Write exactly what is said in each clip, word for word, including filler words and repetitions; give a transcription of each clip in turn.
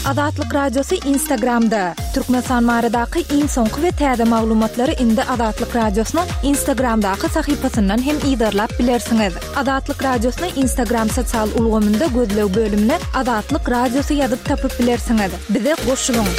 Azatlyk Radiosy Instagramda. Türkmenistan baradaky iň soňky we täze maglumatlary indi Azatlyk Radiosynyň Instagramdaky sahypasyndan hem yzarlap bilersiňiz. Azatlyk Radiosyny Instagram sosial ulgamynda gözleg bölümine Azatlyk Radiosy ýazyp tapyp bilersiňiz. Bize goşulyň.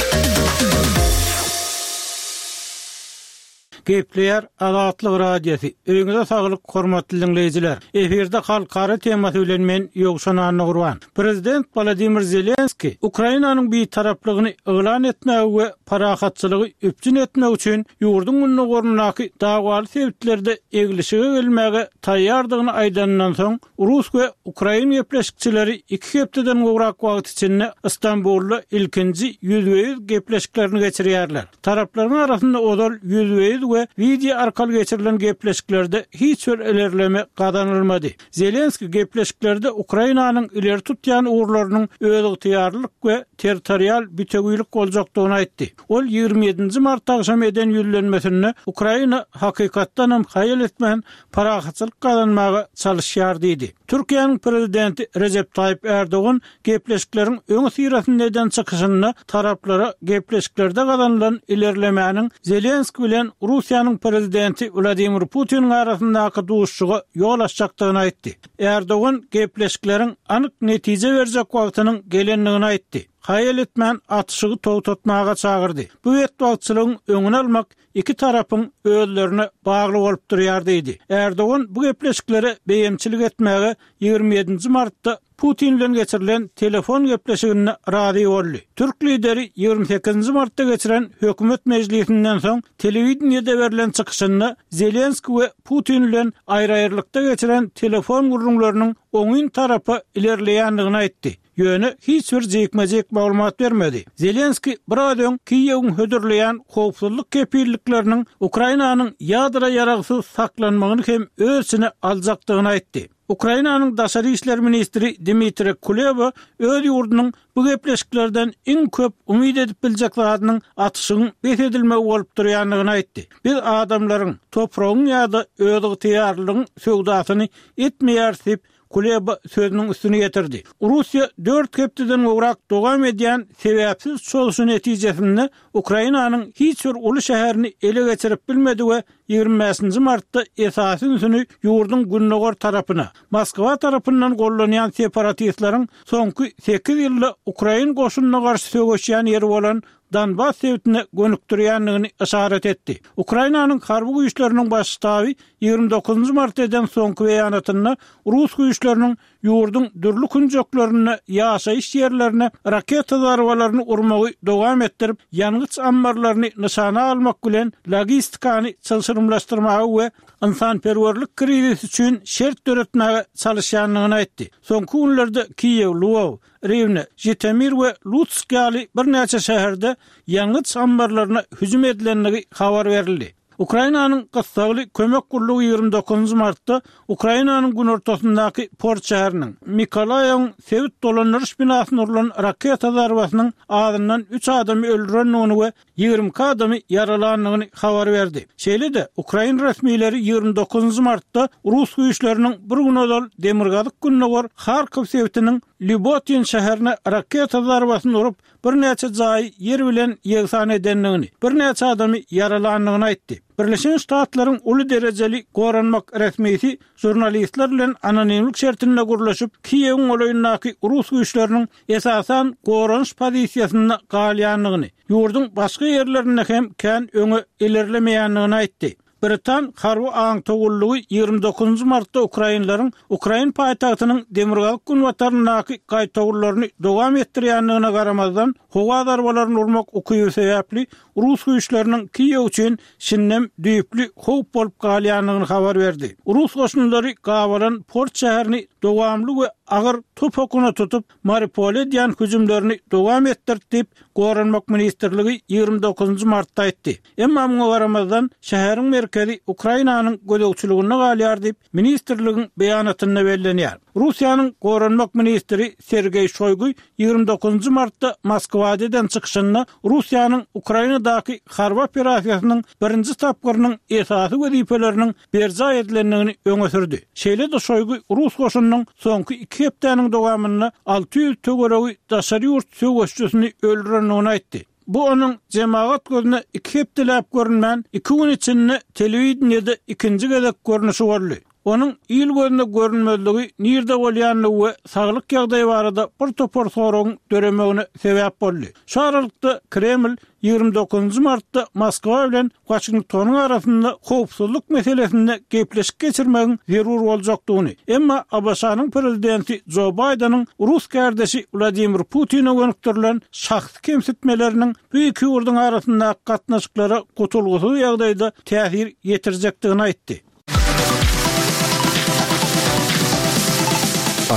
Gepleýär Azatlyk Radiosy. Öýüňize saglyk, hormatly dinleýjiler. Efirde halkara temasy bilen men Ýowşan Annagurban. Prezident Wladimir Zelenski Ukrainanyň bir taraplygyny yglan etmegi we parahatçylygy üpjün etmek üçin ýurduň gündogaryndaky dawaly sebitlerde eglişige gelmäge taýýardygyny aýdandan soň, Rus we Ukrain gepleşikçileri iki hepdeden gowrak wagt içinde Istanbulda ilkinji ýüzbe-ýüz gepleşiklerini geçirýärler. Taraplaryň arasynda ozal ýüzbe-ýüz we wideo arkaly geçirilen gepleşiklerde hiç bir ilerleme gazanylmady. Zelenski gepleşiklerde Ukrainanyň ileri tutýan ugurlarynyň özygtyýarlyk we territorial bütewilik boljakdygyny aýtdy. Ol ýigrimi ýedinji mart agşam eden ýüzlenmesinde Ukraina hakykatdanam haýal etmän parahatçylyk gazanmaga çalyşýar diýdi. Türkiýäniň prezidenti Rejep Taýyp Erdogan gepleşikleriň öňi syrasynda eden çykyşynda taraplara gepleşiklerde gazanylan ilerlemäniň Zelenski bilen Russiýanyň prezidenti Wladimir Putiniň arasyndaky duşuşyga ýol açjakdygyny aýtdy. Erdogan gepleşikleriň anyk netije berjek wagtynyň gelendigini aýtdy. Haýal etmän atyşygy togtatmaga çagyrdy. Bu betbagtçylygyň öňüni almak iki tarapyň özlerine bagly bolup durýar diýdi. Erdogan bu gepleşiklere beýemçilik etmäge ýigrimi ýedinji martda Putin bilen geçirilen telefon gepleşiginde razy boldy. Türk lideri ýigrimi sekizinji martda geçiren hökümet mejlisinden soň telewideniýede berlen çykyşynda Zelenski we Putin bilen aýry-aýrylykda geçiren telefon gürrüňleriniň oňyn tarapa ilerleýändigini aýtdy. Ýöne hiç bir jikme-jik maglumat bermedi. Zelenski biraz öň Kiýewiň hödürleýän howpsuzlyk kepillikleriniň Ukrainanyň ýadro ýaragsyz saklanmagyny hem öz içine aljakdygyny aýtdy. Ukrainanyň daşary işler ministri Dmitri Kuleba öz ýurdunyň bu gepleşiklerden iň köp umyt edip biljek zadynyň atyşygyň bes edilmegi bolup durýandygyny aýtdy. Biz adamlaryň, topragyň ýa-da özygtyýarlygyň söwdasyny etmeýäris diýip, Kuleba sözüniň üstüni getirdi. Russiýa dört hepdeden gowrak dowam edýän sebäpsiz çozuşy netijesinde Ukrainanyň hiç bir uly şäherini ele geçirip bilmedi we ýigrimi bäşinji martda esasy ünsüni ýurduň gündogar tarapyna, Moskwa tarapyndan gollanýan separatistleriň soňky sekiz ýylda ukrain goşunyna garşy söweşýän ýeri bolan Donbas sebitine gönükdirýändigini yşarat etdi. Ukrainanyň harby güýçleriniň baş ştaby ýigrimi dokuzynjy martda eden soňky beýanatynda rus güýçleriniň ýurduň dürli künjeklerinde ýaşaýyş ýerlerine raketa zarbalaryny urmagy dowam etdirip, ýangyç ammarlaryny nyşana almak bilen logistikany çylşyrymlaşdyrmaga we ynsanperwerlik krizisi üçin şert döretmäge çalyşýandygyny aýtdy. Soňky günlerde Kiýew, Lwow, Riwne, Žitomir we Lutsk ýaly birnäçe şäherde ýangyç ammarlaryna hüjüm edilendigi habar berildi. Ukrainanyň gyssagly kömek gullugy ýigrimi dokuzynjy martda Ukrainanyň günortasyndaky port şäheriniň Mikolaýewiň sebit dolandyryş binasyna urlan raketa zarbasynyň azyndan üç adamy öldürendigini we ýigrimi iki adamy ýaralandygyny habar berdi. Şeýle-de, ukrain resmileri ýigrimi dokuzynjy martda rus güýçleriniň bir gün ozal demirgazyk-gündogar Harkow sebitiniň Lýubotin şäherine raketa zarbasyny urup, birnäçe jaýy ýer bilen ýegsan edendigini, birnäçe adamy ýaralandygyny aýtdy. Birleşen Ştatlaryň uly derejeli goranmak resmisi žurnalistler bilen anonimlik şertinde gürleşip, Kiýewiň golaýyndaky rus güýçleriniň esasan goranyş pozisiýasynda galýandygyny, ýurduň başga ýerlerinde hem kän öňe ilerlemeýändigini aýtdy. Britan harby aňtaw gullugy ýigrimi dokuzynjy martda ukrainleriň ukrain paýtagtynyň demirgazyk-günbataryndaky gaýtawullaryny dowam etdirýändigine garamazdan, howa zarbalaryny urmak ukyby sebäpli rus güýçleriniň Kiýew üçin şindem düýpli howp bolup galýandygyny habar berdi. Rus goşunlary gabalan port şäherini dowamly we agyr top okuna tutup, Mariupole edýän hüjümlerini dowam etdirdi diýip, Goranmak ministrligi ýigrimi dokuzynjy martda aýtdy. Emma muňa garamazdan, şäheriň merkezi Ukrainanyň gözegçiliginde galýar diýip, ministrligiň beýanatynda bellenýär. Russiýanyň Goranmak ministri Sergeý Şoýgu ýigrimi dokuzynjy martda Moskwada eden çykyşynda Russiýanyň Ukrainadaky harby operasiýasynyň birinji tapgyrynyň esasy wezipeleriniň berjaý edilendigini öňe sürdi. Şeýle-de Şoýgu rus goşunynyň soňky iki hepdäniň dowamynda alty ýüz töweregi daşary ýurt söweşçisini öldürendigini aýtdy. Bu onuň jemagat gözüne iki hepdeläp görünmän, iki gün içinde telewideniýede ikinji gezek görnüşi boldy. Onuň il gözüne görünmezligi nirde bolýanlygy we saglyk ýagdaýy barada bir topar soragyň döremegine sebäp boldy. Şu aralykda Kreml ýigrimi dokuzynjy martda Moskwa bilen Waşingtonyň arasynda howpsuzlyk meselesinde gepleşik geçirmegiň zerur boljakdygyny, emma A B Ş-nyň prezidenti Jo Baýdeniň rus kardeşi Wladimir Putine gönükdirilen şahsy kemsitmeleriniň bu iki ýurduň arasyndaky gatnaşyklara gutulgysyz ýagdaýda täsir ýetirjekdigini aýtdy.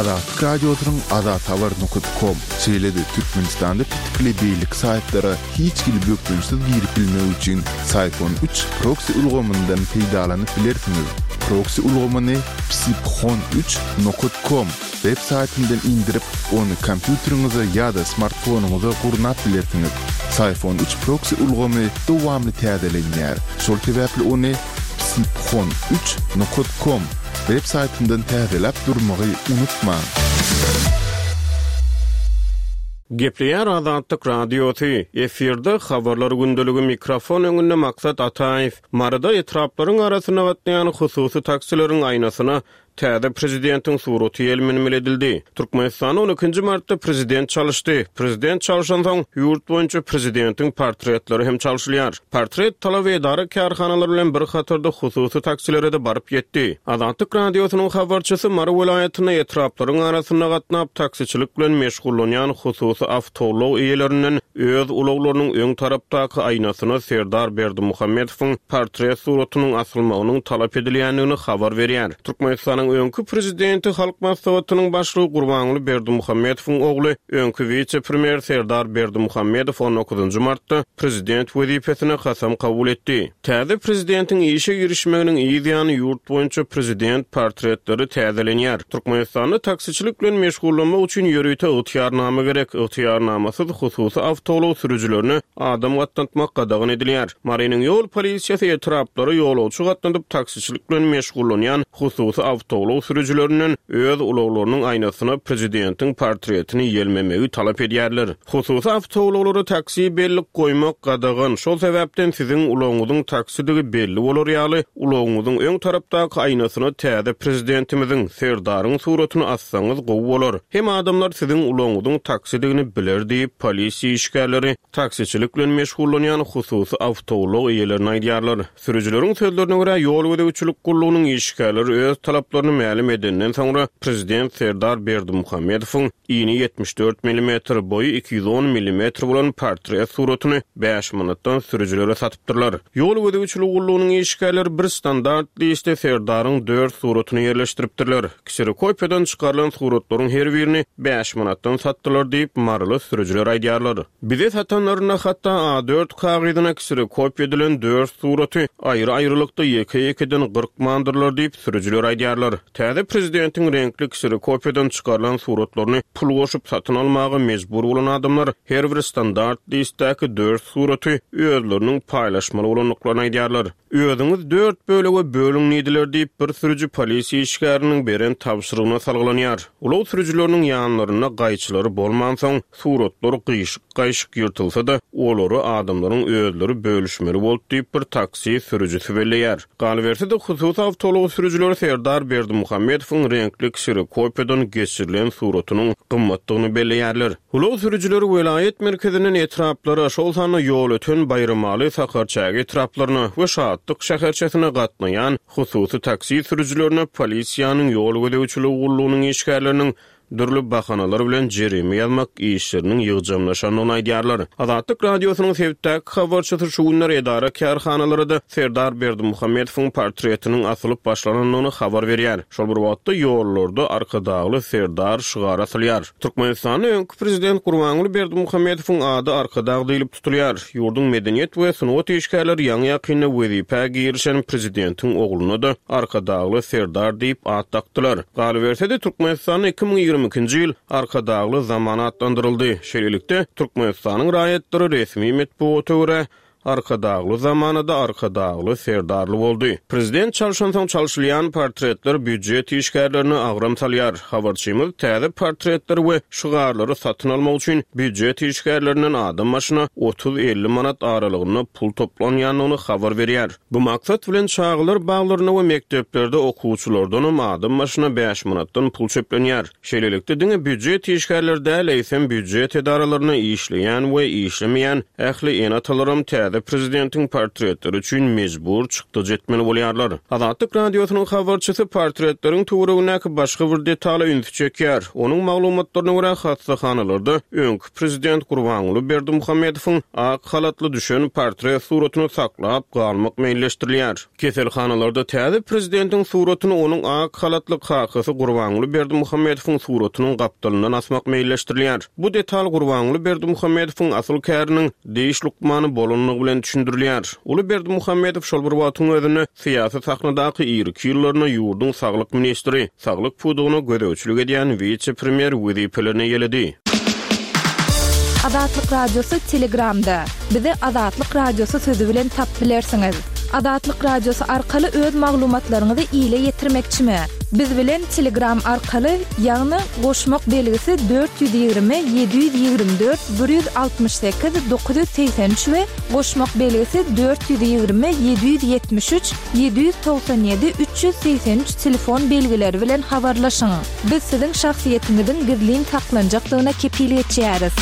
Azatlyk Radiosynyň azathabar nokta com, şeýle-de Türkmenistanda petikli beýleki saýtlara hiç hili bökdençsiz girip bilmek üçin Psiphon üç proksi ulgamyndan peýdalanyp bilersiňiz. Proksi ulgamyny psiphon üç nokta com web saýtyndan indirip, ony kompýuteriňize ýa-da smartfonyňyza gurnap bilersiňiz. Psiphon üç proksi ulgamy dowamly täzelenýär. Şol sebäpli ony psiphon üç nokta com web saýtyndan täzeläp durmagy unutmaň. Gepleýär Azatlyk Radiosy. Efirde habarlar gündeligi, mikrofon öňünde Maksat Ataýew. Maryda etraplaryň arasynda gatnaýan hususy taksileriň aýnasyna täze prezidentiň suraty ýelmenmeli edildi. Türkmenistan on ikinji martda prezident çalyşdy. Prezident çalyşansoň ýurt boýunça prezidentiň portretleri hem çalyşylýar. Portret talaby edara kärhanalary bilen bir hatarda hususy taksilere de baryp ýetdi. Azatlyk Radiosynyň habarçysy Mary welaýatynda etraplaryň arasynda gatnap taksiçilik bilen meşgullanýan hususy awtoulag eýelerinden öz ulaglarynyň öň tarapdaky aýnasyna Serdar Berdimuhamedowyň portret suratynyň asylmagynyň talap edilýändigini habar berýär. Türkmenistanyň öňki prezidenti, Halk Maslahatynyň başlygy Gurbanguly Berdimuhamedowyň ogly, öňki wise-premýer Serdar Berdimuhamedow on dokuzynjy martda prezident wezipesine kasam kabul etdi. Täze prezidentiň işe girişmeginiň yz ýany ýurt boýunça prezident portretleri täzelenýär. Türkmenistanda taksiçilik bilen meşgullanmak üçin ýörite ygtyýarnama gerek. Ygtyýarnamasyz hususy awtoulag sürüjilerine adam gatnatmak gadagan edilýär. Marynyň ýol polisiýasy etraplara ýolagçy gatnadyp taksiçilik bilen meşgullanýan hususy awtoulag sürüjilerinden öz ulaglarynyň aýnasyna prezidentiň portretini ýelmemegi talap edýärler. Hususy awtoulaglara taksi bellik goýmak gadagan. Şol sebäpden siziň ulagyňyzyň taksidigi belli bolar ýaly, ulagyňyzyň öň tarapdaky aýnasyna täze prezidentimiziň Serdaryň suratyny assaňyz gowy bolar. Hem adamlar siziň ulagyňyzyň taksidigini biler diýip, polisiýa işgärleri taksiçilik bilen meşgullanýan hususy awtoulag eýelerine aýdýarlar. Sürüjileriň sözlerine görä, ýol gözegçilik gullugynyň işgärleri öz talaplaryny mälim edenden soňra prezident Serdar Berdimuhamedowyň ini ýetmiş dört millimetr, boýy iki ýüz on millimetr bolan portret suratyny bäş manatdan sürüjilere satypdyrlar. Ýol gözegçilik gullugynyň işgärleri bir standart liste Serdaryň dört suratyny ýerleşdiripdirler. Kserokopiýadan çykarylan suratlaryň her birini bäş manatdan satdylar diýip, maryly sürüjiler aýdýarlar. Bize satanlarynda hatda A dört kagyzyna kserokopiýa edilen dört suraty aýry-aýrylykda ýeke-ýekeden gyrkmandyrlar diýip, sürüjiler aýdýarlar. Täze prezidentiň reňkli kserokopiýadan çykarylan suratlaryny pul goşup satyn almaga mejbur bolan adamlar her bir standart listdäki dört suraty özleriniň paýlaşmaly bolandyklaryny aýdýarlar. Özüňiz dört bölege bölüň diýdiler diýip, bir sürüji polisiýa işgäriniň beren tabşyrygyna salgylanýar. Ulag sürüjileriniň ýanlarynda gaýçylary bolmansoň, suratlar gyýşyk-gaýşyk ýyrtylsa-da, olary adamlaryň özleri bölüşmeli boldy diýip, bir taksi sürüjisi belleýär. Galyberse-de, hususy awtoulag sürüjileri Serdar Berdimuhamedowyň reňkli kserokopiýadan geçirilen suratynyň gymmatdygyny belleýärler. Ulag sürüjileri welaýat merkezinden etraplara, şol sanda Ýolöten, Baýramaly, Sakarçäge etraplaryna we Şatlyk şäherçesine gatnaýan hususy taksi sürüjilerine polisiýanyň ýol gözegçiligi gullugynyň işgärleriniň dürli bahanalar bilen jerime ýazmak işleriniň ýygjamlaşandygyny aýdýarlar. Azatlyk Radiosynyň sebitdäki habarçysy şu günler edara kärhanalarda Serdar Berdimuhamedowyň portretiniň asylyp başlanandygyny habar berýär. Şol bir wagtda ýollarda Arkadagly Serdar şygary asylýar. Türkmenistanda öňki prezident Gurbanguly Berdimuhamedowyň ady Arkadag diýlip tutulýar. Ýurduň medeniýet we sungat işgärleri ýaňy-ýakynda wezipä girişen prezidentiň ogluna-da Arkadagly Serdar diýip at dakdylar. Galyberse-de, Türkmenistanda iki müň ýigrimi ikinji ýyl Arkadagly zaman atlandyryldy. Şeýlelikde, Türkmenistanyň raýatlary resmi metbugata görä Arkadagly zamanada Arkadagly Serdarly boldy. Prezident çalşansoň çalşylýan portretler býujet işgärlerine agram salýar. Habarçymyz täze portretleri we şygarlary satyn almak üçin býujet işgärlerinden adam başyna otuz-elli manat aralygynda pul toplanýandygyny habar berýär. Bu maksat bilen çagalar baglarynda we mekdeplerde okuwçylardanam adam başyna bäş manatdan pul çöplenýär. Şeýlelikde, diňe býujet işgärleri däl, eýsem býujet edaralarynda işleýän we işlemeýän ähli ene-atalaram täze prezidentiň portretleri üçin mejbur çykdajy etmeli bolýarlar. Azatlyk Radiosynyň habarçysy portretleriň töweregindäki başga bir detala ünsi çekýär. Onuň maglumatlaryna görä, hassahanalarda öňki prezident Gurbanguly Berdimuhamedowyň ak halatly düşen portret suratyny saklap galmak meýilleşdirilýär. Keselhanalarda täze prezidentiň suratyny onuň ak halatly kakasy Gurbanguly Berdimuhamedowyň suratynyň gapdalyndan asmak meýilleşdirilýär. Bu detal Gurbanguly Berdimuhamedowyň asyl käriniň diş lukmany bolandygy bilen düşündirilýär. Uly Berdimuhamedow şol bir wagtyň özünde syýasy sahnadaky irki ýyllarynda ýurduň saglyk ministri, saglyk pudagyna gözegçilik edýän wise-premýer wezipelerini eýeledi. Azatlyk Radiosy Telegramda. Bizi Azatlyk Radiosy sözi bilen tapyp bilersiňiz. Azatlyk Radiosy arkaly öz maglumatlaryňyzy ile ýetirmekçimi? Biz bilen Telegram arkaly, ýagny goşmak belgisi dört ýüz ýigrimi ýedi ýüz ýigrimi dört bir ýüz altmyş sekiz dokuz ýüz segsen üç we goşmak belgisi dört ýüz ýigrimi ýedi ýüz ýetmiş üç ýedi ýüz togsan ýedi üç ýüz segsen üç telefon belgileri bilen habarlaşyň. Biz siziň şahsyýetiňiziň gizlin saklanjakdygyna kepil geçýäris.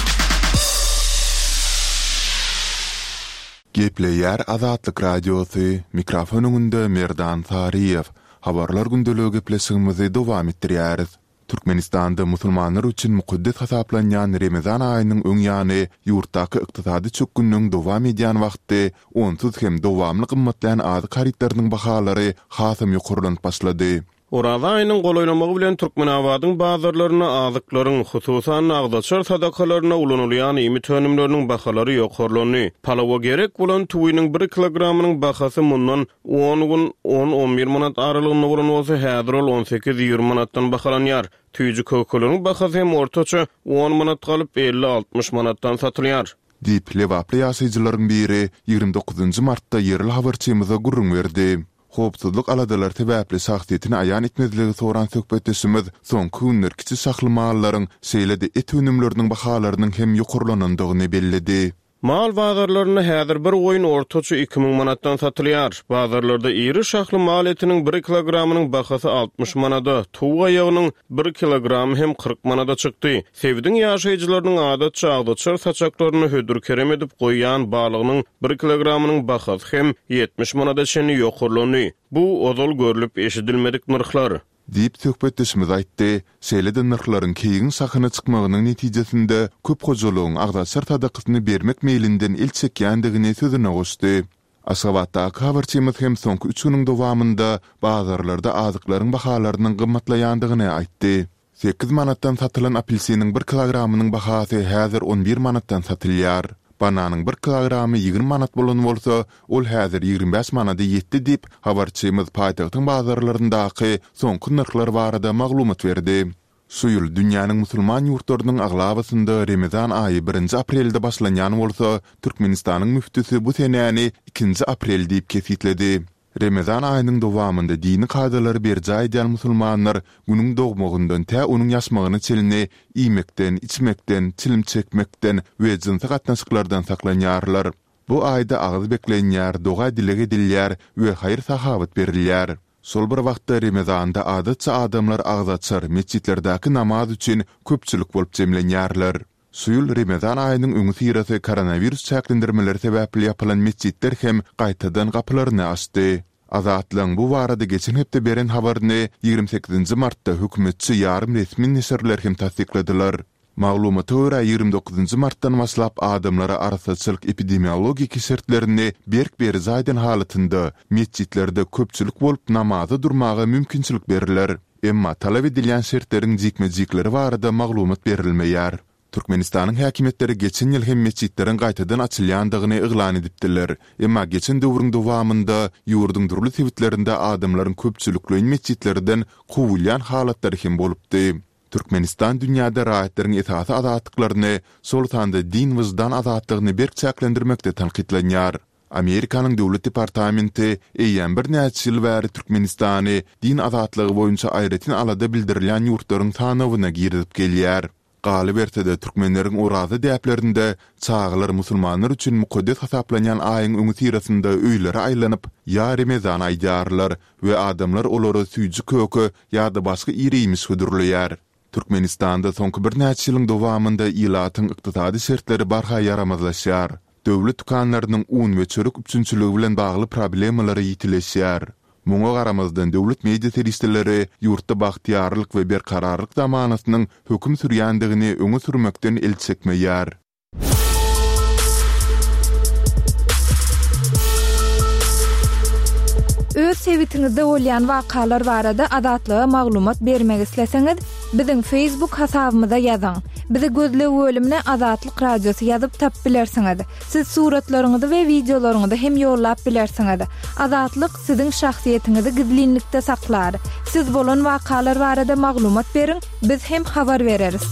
Gepleýär Azatlyk Radiosy, mikrofon öňünde Merdan Saryýew. Habarlar gündeligi gepleşigimizi dowam etdirýäris. Türkmenistanda musulmanlar üçin mukaddes hasaplanýan Remezan aýynyň öň ýany ýurtdaky ykdysady çökgünligiň dowam edýän wagty onsuz hem dowamly gymmatlaýan azyk harytlarynyň bahalary hasam ýokarlanyp başlady. Oraza aýynyň golaýlamagy bilen Türkmenabadyň bazarlarynda azyklaryň, hususan-da agzaçar sadakalarynda ulanylýan iýmit önümleriniň bahalary ýokarlandy. Palawa gerek bolan tüwiniň bir kilogramynyň bahasy mundan on gün on-on bir manat aralygynda bolan bolsa, häzir ol on sekiz-ýigrimi manatdan bahalanýar. Tüýji kökeleriň bahasy hem ortaça on manat galyp, elli-altmyş manatdan satylýar. Diýip, lebaply ýaşaýjylaryň biri ýigrimi dokuzynjy martda ýerli habarçymyza gürrüň berdi. Howpsuzlyk aladalary sebäpli şahsyýetini aýan etmezligi soran söhbetdeşimiz soňky günler kiçi şahly mallaryň, şeýle-de et önümleriniň bahalarynyň hem ýokarlanandygyny belledi. Mal bazarlarynda häzir bir goýun ortaça iki müň manatdan satylýar. Bazarlarda iri şahly mal etiniň bir kilogramynyň bahasy altmyş manada, towuk aýagynyň bir kilogramy hem kyrk manada çykdy. Sebitiň ýaşaýjylarynyň adatça agzaçar saçaklaryny hödür-kerem edip goýýan balygynyň bir kilogramynyň bahasy hem ýetmiş manada çenli ýokarlandy. Bu ozal görlüp eşidilmedik nyrhlar. Diýip, söhbetdeşimiz aýtdy. Şeýle-de nyrhlaryň keýigiň şahyna çykmagynyň netijesinde köp hojalygyň agzaçar sadakasyny bermek meýlinden el çekýändigini sözüne goşdy. Aşgabatdaky habarçymyz hem soňky üç günüň dowamynda bazarlarda azyklaryň bahalarynyň gymmatlaýandygyny aýtdy. Sekiz manatdan satylan apelsiniň bir kilogramynyň bahasy häzir on bir manatdan satylýar. Bananyň bir kilogramy ýigrimi manat bolan bolsa, ol häzir ýigrimi bäş manada ýetdi diýip, habarçymyz paýtagtyň bazarlaryndaky soňky nyrhlar barada maglumat berdi. Şu ýyl dünýäniň musulman ýurtlarynyň aglabasynda Remezan aýy birinji aprelde başlanýan bolsa, Türkmenistanyň müftüsi bu senäni ikinji aprel diýip kesgitledi. Remezan aýynyň dowamynda dini kadalary berjaý edýän musulmanlar günüň dogmagyndan tä onuň ýaşmagyna çenli iýmekden, içmekden, çilim çekmekden we jynsy gatnaşyklardan saklanýarlar. Bu aýda agyz beklenýär, doga-dileg edilýär we haýyr-sahawat berilýär. Şol bir wagtda Remezanda adatça adamlar agyz açar, metjitlerdäki namaz üçin köpçülik bolup jemlenýärler. Şu ýyl Remezan aýynyň öňüsyrasy koronawirus çäklendirmeleri sebäpli ýapylan metjitler hem gaýtadan gapylaryny açdy. Azatlygyň bu barada geçen hepde beren habaryny ýigrimi sekizinji martda hökümetçi ýarym resmi neşirler hem tassykladylar. Maglumata görä, ýigrimi dokuzynjy martdan başlap adamlara arassaçylyk-epidemiologiki şertlerini berk berjaý eden halatynda metjitlerde köpçülik bolup namaza durmaga mümkinçilik berler. Emma talap edilýän şertleriň jikme-jikleri barada maglumat berilmeýär. Türkmenistanyň häkimiýetleri geçen ýyl hem metjitleriň gaýtadan açylýandygyny yglan edipdiler. Emma geçen döwrüň dowamynda ýurduň dürli sebitlerinde adamlaryň köpçülikleýin metjitlerden kowulýan halatlary hem bolupdy. Türkmenistan dünýäde raýatlaryň esasy azatlyklaryny, şol sanda din-wyždan azatlygyny berk çäklendirmekde tankytlanýar. Amerikanyň Döwlet departamenti eýýäm birnäçe ýyl bäri Türkmenistany din azatlygy boýunça aýratyn alada bildirilýän ýurtlaryň sanawyna girizip gelýär. Galyberse-de, türkmenleriň oraza däplerinde çagalar musulmanlar üçin mukaddes hasaplanýan aýyň öňüsyrasynda öýlere aýlanyp, Ýa Remezan aýdýarlar we adamlar olara süýji-köke ýa-da başga ir-iýmiş hödürleýär. Türkmenistanda soňky birnäçe ýylyň dowamynda ilatyň ykdysady şertleri barha ýaramazlaşýar. Döwlet dükanlarynyň un we çörek üpjünçiligi bilen bagly problemalary ýitileşýär. Muňa garamazdan, döwlet media serişdeleri ýurtda bagtyýarlyk we berkararlyk zamanasynyň höküm sürýändigini öňe sürmekden el çekmeýär. Öz sebitiňizde bolýan wakalar barada Azatlyga maglumat bermek isleseňiz, biziň Facebook hasabymyza ýazyň. Bizi gözleg bölümine Azatlyk Radiosy ýazyp tapyp bilersiňiz. Siz suratlaryňyzy we wideolaryňyzy hem ýollap bilersiňiz. Azatlyk siziň şahsyýetiňizi gizlinlikde saklar. Siz bolan wakalar barada maglumat beriň, biz hem habar bereris.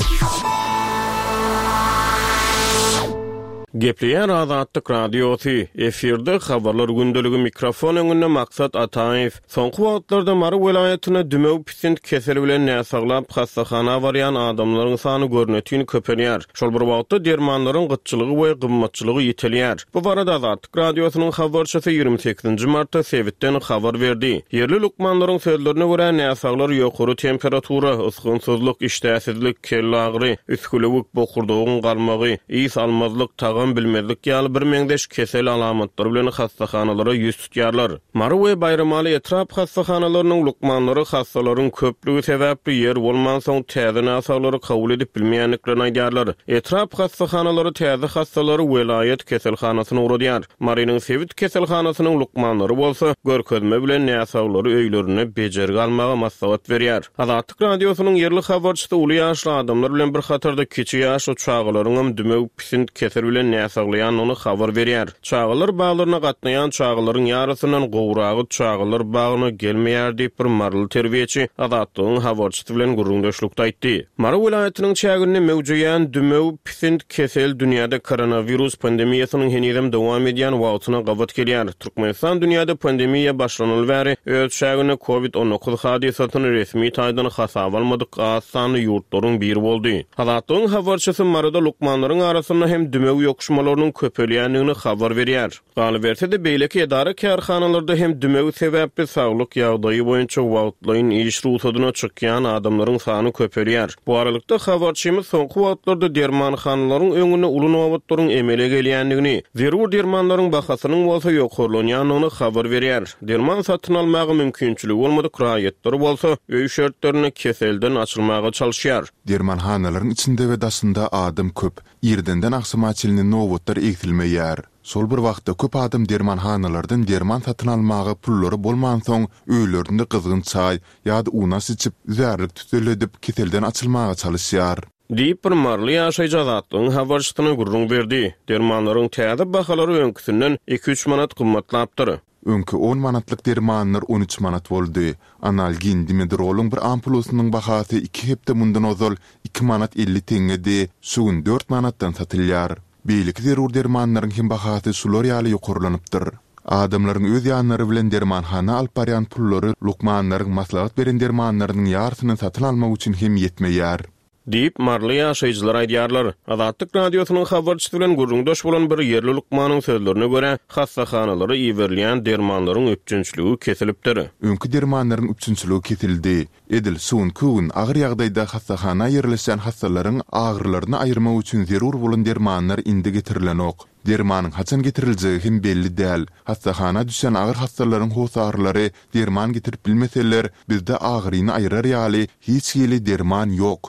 Gepleýär Azatlyk Radiosy, efirde Habarlar gündeligi mikrofon öňünde Maksat Ataýew. Soňky wagtlarda Mary welaýatynda dümew pisint keseli bilen näsaglap hassahana barýan adamlaryň sany görnetin köpelýär. Şol bir wagtda dermanlaryň gytçylygy we gymmatçylygy ýitelýär. Bu barada Azatlyk Radiosynyň habarçysy ýigrimi sekizinji martda sebitden habar berdi. Ýerli lukmanlaryň sözlerine görä, näsaglar ýokary temperatura, ysgynsyzlyk, işdäsizlik, kelle agyry, üsgülewük, bokurdagyň galmagy, ys almazlyk, tagam bilmezlik ýaly birmeňzeş kesel alamatlary bilen hassahanalara ýüz tutýarlar. Mary we Baýramaly etrap hassahanalarynyň lukmanlary hassalaryň köplügi sebäpli ýer bolmansoň täze näsaglary kabul edip bilmeýändiklerini aýdýarlar. Etrap hassahanalary täze hassalary welaýat keselhanasyna ugradýar. Marynyň sebit keselhanasynyň lukmanlary bolsa görkezme bilen näsaglary öýlerinde bejergi almaga maslahat berýär. Azatlyk Radiosynyň ýerli habarçysy uly ýaşly adamlar bilen bir hatarda kiçi ýaşly çagalaryňam dümew pisint kesel bilen näsaglaýandygyny habar berýär. Çagalar baglaryna gatnaýan çagalaryň ýarysyndan gowragy çagalar bagyna gelmeýär diýip bir maryly terbiýeçi Azatlygyň habarçysy bilen gürrüňdeşlikde aýtdy. Mary welaýatynyň çäginde möwjeýän dümew pisint kesel dünýäde koronawirus pandemiýasynyň henizem dowam edýän wagtyna gabat gelýär. Türkmenistan dünýäde pandemiýa başlanaly bäri öz çäginde kovid on dokuz hadysasyny resmi taýdan hasaba almadyk az sanly ýurtlaryň biri boldy. Azatlygyň habarçysy Maryda lukmanlaryň arasynda hem dümew ýokuşmalarynyň köpelýändigini habar berýär. Galyberse-de beýleki edara kärhanalarda hem dümew sebäpli saglyk ýagdaýy boýunça wagtlaýyn iş rugsadyna çykýan adamlaryň sany köpelýär. Bu aralykda habarçymyz soňky wagtlarda dermanhanalaryň öňünde uly nobatlaryň emele gelýändigini, zerur dermanlaryň bahasynyň bolsa ýokarlanýandygyny habar berýär. Derman satyn almaga mümkinçiligi bolmadyk raýatlar bolsa öý şertlerinde keselden açylmaga çalyşýar. Dermanhanalaryň içinde we daşynda adam köp, irdenden agşama çenli nobatlar egsilmeýär. Şol bir wagtda köp adam dermanhanalardan derman satyn almaga pullary bolmansoň öýlerinde gyzgyn çaý ýa-da unaş içip, üzärlik tüteledip, keselden açylmaga çalyşýar. Diýip bir maryly ýaşaýjy Azatlygyň habarçysyna gürrüň berdi. Dermanlaryň täze bahalary öňküsinden iki-üç manat gymmatlapdyr. Öňki on manatlyk dermanlar on üç manat boldy. Analgin dimedrolyň bir ampulasynyň bahasy iki hepde mundan ozal iki manat elli teňňedi, şu gün dört manatdan satylýar. Beýleki zerur dermanlaryň hem bahasy şular ýaly ýokarlanypdyr. Adamlaryň öz ýanlary bilen dermanhana alyp barýan pullary lukmanlaryň maslahat beren dermanlarynyň ýarysyny satyn almak üçin hem ýetmeýär. Diýip maryly ýaşaýjylar aýdýarlar. Azatlyk Radiosynyň habarçysy bilen gürrüňdeş bolan bir ýerli lukmanyň sözlerine görä, hassahanalara iberilýän dermanlaryň üpjünçiligi kesilipdir. Öňki dermanlaryň üpjünçiligi kesildi. Edil şu günki gün agyr ýagdaýda hassahana ýerleşen hassalaryň agyrylaryny aýyrmak üçin zerur bolan dermanlar indi getirilenok. Dermanyň haçan getiriljegi hem belli däl. Hassahana düşen agyr hassalaryň hossarlary derman getirip bilmeseler, bizde agyryny aýyrar ýaly hiç hili derman ýok.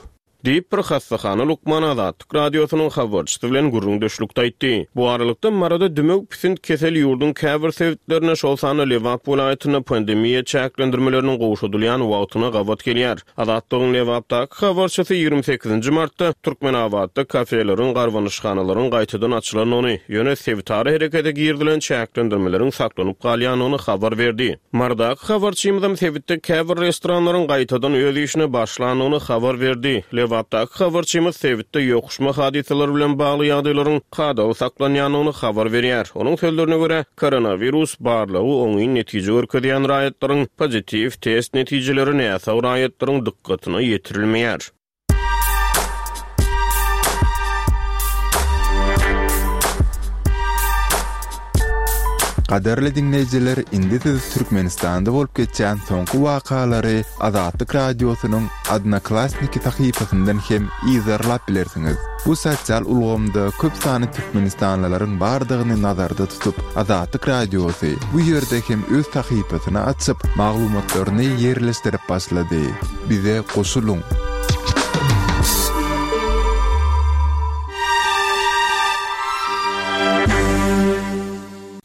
Diýip, bir hassahana lukmany Azatlyk Radiosynyň habarçysy bilen gürrüňdeşlikde aýtdy. Bu aralykda Maryda dümew pisint kesel ýurduň käbir sebitlerinde, şol sanda Lebap welaýatynda pandemiýa çäklendirmeleriniň gowşadylýan wagtyna gabat gelýär. Azatlygyň Lebapdaky habarçysy ýigrimi sekizinji martda Türkmenabatda kafeleriň, garbanyşhanalaryň gaýtadan açylandygyny, ýöne sebitara herekete girizilen çäklendirmeleriň saklanyp galýandygyny habar berdi. Marydaky habarçymyzam sebitde käbir restoranlaryň gaýtadan öz işine başlandygyny habar berdi. Lebapdaky habarçymyz sebitde ýokuşma hadysalary bilen bagly ýagdaýlaryň kadaly saklanýandygyny habar berýär. Onuň sözlerine görä, koronawirus barlagy oňyn netije görkezýän raýatlaryň pozitiw test netijeleri näsag raýatlaryň dykgatyna ýetirilmeýär. Gadyrly diňleýjiler, indi siz Türkmenistanda bolup geçýän soňky wakalary Azatlyk Radiosynyň Odnoklassniki sahypasyndan hem yzarlap bilersiňiz. Bu sosial ulgamda köp sanly türkmenistanlylaryň bardygyny nazarda tutup, Azatlyk Radiosy bu ýerde hem öz sahypasyny açyp, maglumatlaryny ýerleşdirip başlady. Bize goşulyň!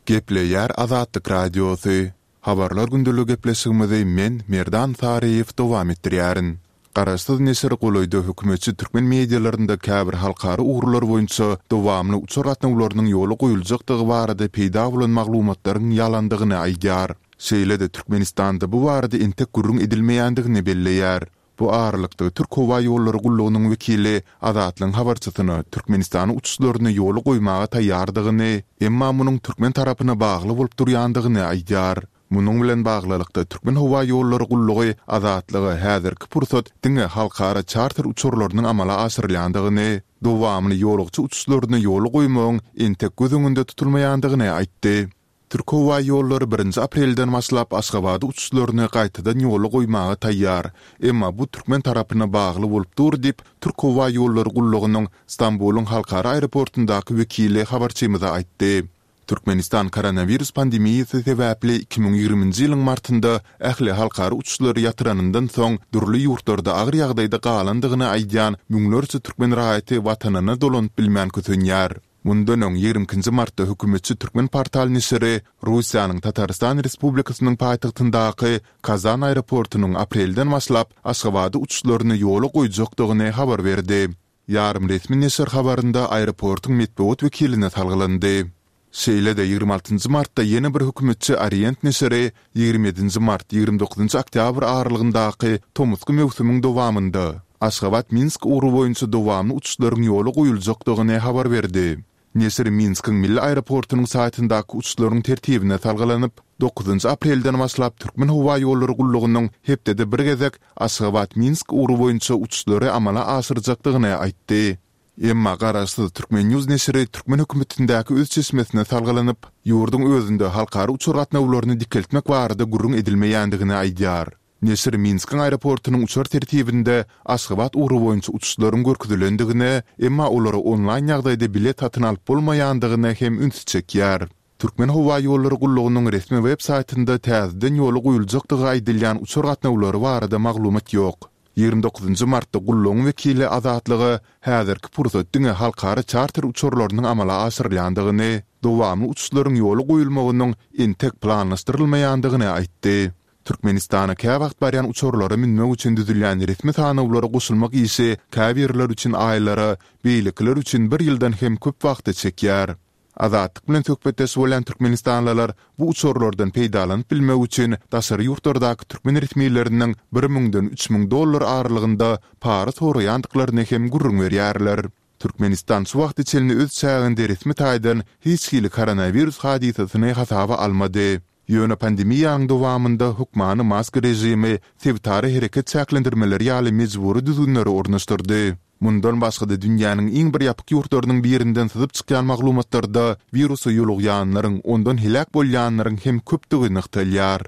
Gepleýär Azatlyk Radiosy. Habarlar gündeligi gepleşigimizi men, Merdan Saryýew dowam etdirýärin. Garaşsyz neşir golaýda hökümetçi türkmen medialarynda käbir halkara ugurlar boýunça dowamly uçar gatnawlarynyň ýola goýuljakdygy barada peýda bolan maglumatlaryň ýalandygyny aýdýar. Şeýle-de Türkmenistanda bu barada entek gürrüň edilmeýändigini belleýär. Bu aralykda, Türk howa ýollary gullugynyň wekili Azatlygyň habarçysyna Türkmenistanyň uçuşlaryny ýola goýmaga taýýardygyny, emma munuň türkmen tarapyna bagly bolup durýandygyny aýdýar. Munuň bilen baglylykda, Türkmen howa ýollary gullugy Azatlyga häzirki pursat diňe halkara çarter uçarlarynyň amala aşyrylýandygyny, dowamly ýolagçy uçuşlaryny ýola goýmagyň entek göz öňünde tutulmaýandygyny aýtdy. Türkhowaýollary birinji aprelden başlap Aşgabada uçuşlaryny gaýtadan ýola goýmaga taýýar, emma bu türkmen tarapyna bagly bolup dur diýip, Türkhowaýollary gullugynyň Stambulyň halkara aeroportundaky wekili habarçymyza aýtdy. Türkmenistan koronawirus pandemiýasy sebäpli iki müň ýigriminji ýylyň martynda ähli halkara uçuşlary ýatyranyndan soň dürli ýurtlarda agyr ýagdaýda galandygyny aýdýan müňlerçe türkmen raýaty watanyna dolanyp bilmän kösenýär. Mundan öň, ýigrimi ikinji martda hökümetçi Türkmenportal neşiri Russiýanyň Tatarystan Respublikasynyň paýtagtyndaky Kazan aeroportunyň aprelden başlap Aşgabada uçuşlaryny ýola goýjakdygyny habar berdi. Ýarym resmi neşir habarynda aeroportuň metbugat wekiline salgylandy. Şeýle-de, ýigrimi altynjy martda ýene bir hökümetçi Orient neşiri ýigrimi ýedinji mart, ýigrimi dokuzynjy oktýabr aralygyndaky tomusky möwsümiň dowamynda Aşgabat-Minsk ugry boýunça dowamly uçuşlaryň ýola goýuljakdygyny habar berdi. Neşir Minskiň milli aeroportunyň saýtyndaky uçuşlaryň tertibine salgylanyp, dokuzynjy aprelden başlap Türkmenhowaýollary gullugynyň hepdede bir gezek Aşgabat-Minsk ugry boýunça uçuşlary amala aşyrjakdygyny aýtdy. Emma garaşsyz Turkmen. News neşiri türkmen hökümetindäki öz çeşmesine salgylanyp, ýurduň özünde halkara uçar gatnawlaryny dikeltmek barada gürrüň edilmeýändigini aýdýar. Neşir Minskiň aeroportunyň uçar tertibinde Aşgabat ugry boýunça uçuşlaryň görkezilendigine, emma olara onlaýn ýagdaýda bilet satyn alyp bolmaýandygyna hem ünsi çekýär. Türkmenhowaýollary gullugynyň resmi web saýtynda täzeden ýola goýuljakdygy aýdylýan uçar gatnawlary barada maglumat ýok. Ýigrimi dokuzynjy martda gullugyň wekili Azatlyga häzirki pursat diňe halkara çarter uçarlarynyň amala aşyrylýandygyny, dowamly uçuşlaryň ýola goýulmagynyň entek planlaşdyrylmaýandygyny aýtdy. Türkmenistana käwagt barýan uçarlara münmek üçin düzülýän resmi sanawlara goşulmak işi käbirleri üçin aýlara, beýlekiler üçin bir ýyldan hem köp wagta çekýär. Azatlyk bilen söhbetdeş bolýan türkmenistanlylar bu uçarlardan peýdalanyp bilmek üçin daşary ýurtlardaky türkmen resmileriniň bir müňden üç müň dollar aralygynda para soraýandyklaryny hem gürrüň berýärler. Türkmenistan şu wagta çenli öz çäginde resmi taýdan hiç hili koronawirus hadysasyny hasaba almady. Ýöne pandemiýanyň dowamynda hökmany maska režimi, sebitara hereket çäklendirmeleri ýaly mejbury düzgünleri ornaşdyrdy. Mundan başga-da dünýäniň iň bir ýapyk ýurtlarynyň birinden syzyp çykýan maglumatlarda wirusa ýolugýanlaryň, ondan heläk bolýanlaryň hem köpdügi nygtalýar.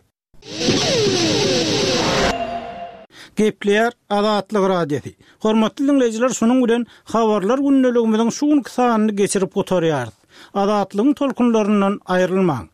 Gepleýär Azatlyk Radiosy. Hormatly diňleýjiler şunuň bilen Habarlar gündeligimiziň şu günki sanyny geçirip gutarýarys. Azatlygyň tolkunlaryndan aýrylmaň.